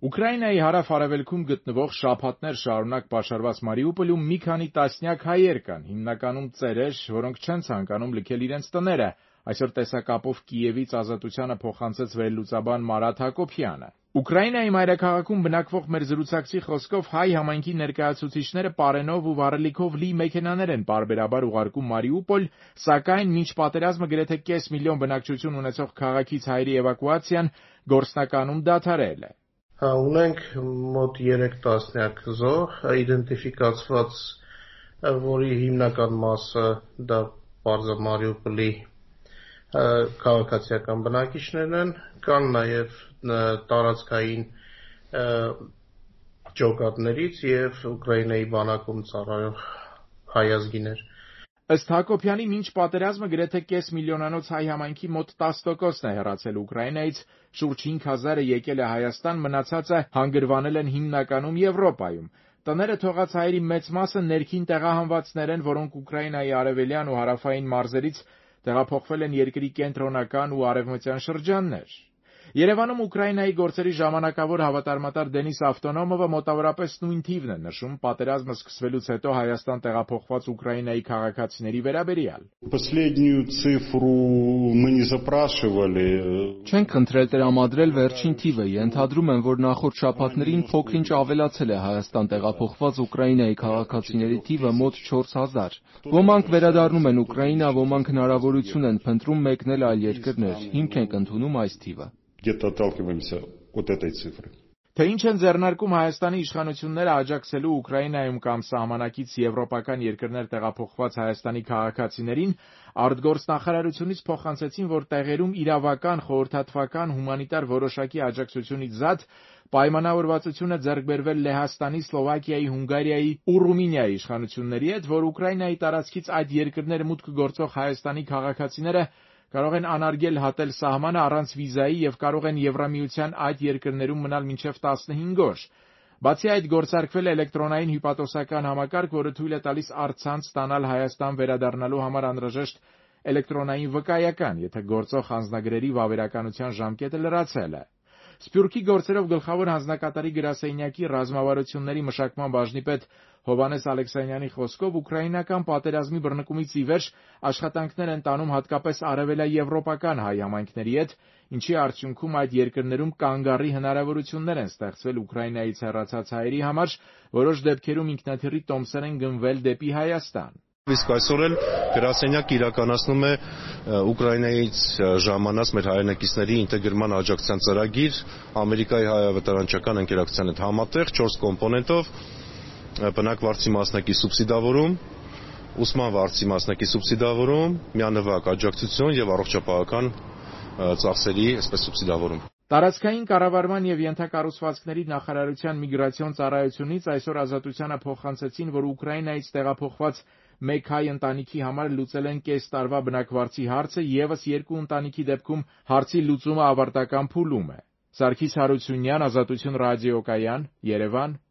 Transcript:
Ուկրաինայի հարավ-արևելքում գտնվող շաբաթներ շարունակ պաշարված Մարիուպոլում մի քանի տասնյակ հայեր կան, հիմնականում ծերեր, որոնք չեն ցանկանում լքել իրենց տները, այսօր տեսակապով Կիևից Ազատությանը փոխանցեց վերլուծաբան Մարաթ Հակոբյանը։ Ուկրաինայի մայրաքաղաքում բնակվող մեր զրուցակցի խոսքով հայ համայնքի ներկայացուցիչները պարենով ու վառելիքով լի մեքենաներ են պարբերաբար ուղարկում Մարիուպոլ, սակայն մինչ պատերազմը գրեթե կես միլիոն բնակչություն ունեցող քաղաքից հայերի էվակուացիան գործնականում դադարել է։ Ունենք մոտ 3 տասնյակ զոհ իդենտիֆիկացված, որի հիմնական մասը դա պարզը Մարիուպոլի քաղաքացիական բնակիչներն են, կան նաև տարածքային ջոկատներից եւ Ուկրաինայի բանակում ծառայող հայ ազգիներ։ Ըստ Հակոբյանի, մինչ պատերազմը գրեթե կես միլիոնանոց հայ համայնքի մոտ 10%-ն է հեռացել Ուկրաինայից, շուրջ 5000-ը եկել է Հայաստան, մնացածը հանգրվանել են հիմնականում Եվրոպայում։ Տները թողած հայերի մեծ մասը ներքին տեղահանվածներ են, որոնք Ուկրաինայի արևելյան ու հարավային մարզերից տեղափոխվել են երկրի կենտրոնական ու արևմտյան շրջաններ։ Երևանում Ուկրաինայի գործերի ժամանակավոր հավատարմատար Դենիս Ավտոնոմովը մոտավորապես նույն թիվն է նշում պատերազմը սկսվելուց հետո Հայաստան տեղափոխված Ուկրաինայի քաղաքացիների վերաբերյալ։ Չենք խնդրել տրամադրել վերջին թիվը, ենթադրում եմ, որ նախորդ շաբաթներին փոքր-ինչ ավելացել է Հայաստան տեղափոխված Ուկրաինայի քաղաքացիների թիվը մոտ 4000։ Ոմանք վերադառնում են Ուկրաինա, ոմանք հնարավորություն են փնտրում մեկնել այլ երկրներ, հիմք ենք ընդունում այս թիվը։ Թե ինչ են ձեռնարկում Հայաստանի իշխանությունները աջակցելու Ուկրաինայում կամ սահմանակից եվրոպական երկրներ տեղափոխված Հայաստանի քաղաքացիներին, արտգործնախարարությունից փոխանցեցին, որ տեղերում իրավական, խորհրդատվական, հումանիտար որոշակի աջակցությունից զատ պայմանավորվածություն է ձեռք բերվել Լեհաստանի, Սլովակիայի, Հունգարիայի ու Ռումինիայի իշխանությունների հետ, որ Ուկրաինայի տարածքից այդ երկրներ մուտք գործող Հայաստանի քաղաքացիները կարող են անարգել հատել սահմանը առանց վիզայի և կարող են Եվրամիության այդ երկրներում մնալ մինչև 15 օր։ Բացի այդ, գործարկվել է էլեկտրոնային հյուպատոսական համակարգ, որը թույլ է տալիս առցանց ստանալ Հայաստան վերադառնալու համար անհրաժեշտ էլեկտրոնային վկայական, եթե գործող անձնագրերի վավերականության ժամկետը լրացել է։ Սփյուռքի գործերով գլխավոր հանձնակատարի գրասենյակի ռազմավարությունների մշակման բաժնի պետ Հովհաննես Ալեքսանյանի խոսքով ուկրաինական պատերազմի բռնկումից ի վեր աշխատանքներ են տանում հատկապես արևելաեվրոպական հայ համայնքների հետ, ինչի արդյունքում այդ երկրներում կանգ առի հնարավորություններ են ստեղծվել Ուկրաինայից հեռացած հայերի համար, որոշ դեպքերում ինքնաթիռի տոմսեր են գնվել դեպի Հայաստան։ Իսկ այսօր էլ գրասենյակը իրականացնում է Ուկրաինայից ժամանած մեր հայրենակիցների ինտեգրման աջակցության ծրագիր Ամերիկայի հայ-ավետարանչական ընկերակցության հետ համատեղ 4 կոմպոնենտով բնակվարձի մասնակի սուբսիդավորում, ուսման վարձի մասնակի սուբսիդավորում, միանվագ աջակցություն եւ առողջապահական ծախսերի այսպես սուբսիդավորում։ Տարածքային կառավարման և ենթակառուցվածքների նախարարության միգրացիոն ծառայությունից այսօր Ազատությանը փոխանցեցին, որ Ուկրաինայից տեղափոխված մեկ հայ ընտանիքի համար լուծել են կես տարվա բնակվարձի հարցը, ևս 2 ընտանիքի դեպքում հարցի լուծումը ավարտական փուլում է։ Սարգիս Հարությունյան, Ազատություն ռադիոկայան, Երևան։